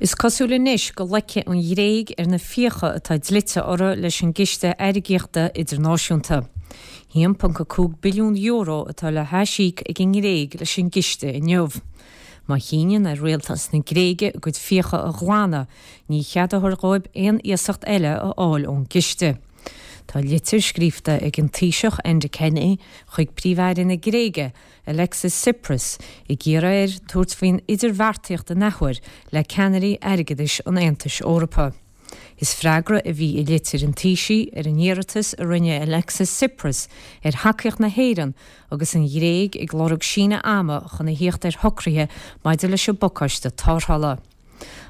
Is cosúil anois go loicfidh an Ghréig ar na fiacha atá dlite orthu leis an gCiste Airgeadaíochta Idirnáisiúnta. €1.5 billiún atá le haisíoc ag an nGréig leis an gciste inniu. Má chinneann ar rialtas na Gréige a gcuid fiacha a ghlanadh, ní cheadófar dhóibh aon iasacht eile a fháil ón gciste. Tá litir scríofa ag an Taoiseach Enda Kenny chuig Príomh-Aire na Gréige, Alexis Tsipras, ag iarraidh air tabhairt faoin idirbheartaíocht an athuair le ceannairí airgeadais an Aontais Eorpaigh. Is freagra a bhí i litir an Taoisigh ar an iarratas a rinne Alexis Tsipras ar thacaíocht na hÉireann agus an Ghréig ag lorg síneadh ama chun a thíocht ar shocruithe maidir leis an bpacáiste tarrthála.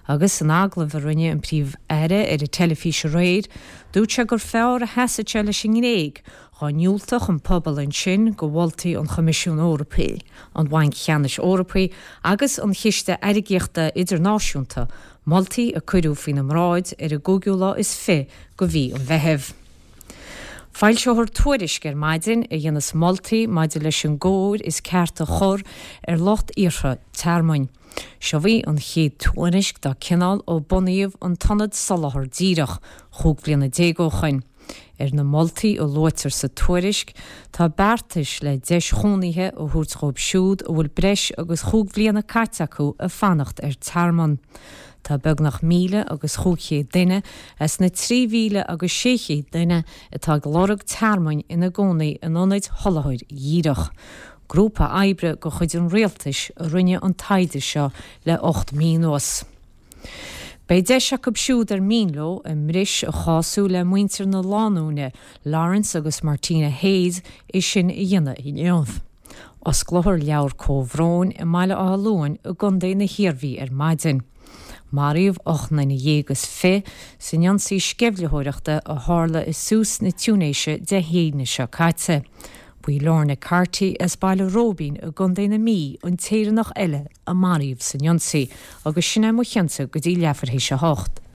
Agus san agallamh a rinne an Príomh-Aire ar an teilifís aréir, dúirt sé gur fearr a sheasfadh sé leis an nGréig dhá ndiúltódh an pobal ansin do mholtaí an Choimisiúin Eorpaigh, an Bhainc Cheannais Eorpaigh agus an Chiste Airgeadaíochta Idirnáisiúnta, moltaí a cuireadh faoina mbráid ar an gcúigiú lá is fi de mhí an Mheithimh. Foilseofar tuairisc ar maidin a dhéanfas moltaí maidir leis an gcóir is ceart a chur ar lucht iarrtha tearmainn. Seo í an chéad tuairisc dá cineál ó bunaíodh an tIonad Soláthar Díreach chúig bhliana déag ó shoin. Ar na moltaí a luaitear sa tuairisc tá beartais le deis chónaithe a thabhairt dhóibh siúd a bhfuil breis agus chúig bhliana caite acu ag fanacht ar tearmann. Tá beagnach 1,500 duine as na 3,600 duine atá ag lorg tearmainn ina gcónaí in ionaid sholáthair dhíreach. Grúpa oibre de chuid an rialtais a rinne an taighde seo le 8 mí anuas. Beidh deis acu siúd ar mian leo a mbris a chású le muintir na lánúine Laurence agus Martina Hayes é sin a dhéanamh inniu. Osclófar leabhar comhbhróin i mBaile Átha Luain i gContae na hIarmhí ar maidin. Maraíodh 28 nduine san ionsaí sceimhlitheoireachta a tharla i Sousse na Túinéise Dé hAoine seo caite. Ba í Lorna Carty as Baile Róibín i gContae na Mí an tÉireannach eile a maraíodh san ionsaí agus sin é mo chinnse go dtí leathuair théis a hocht.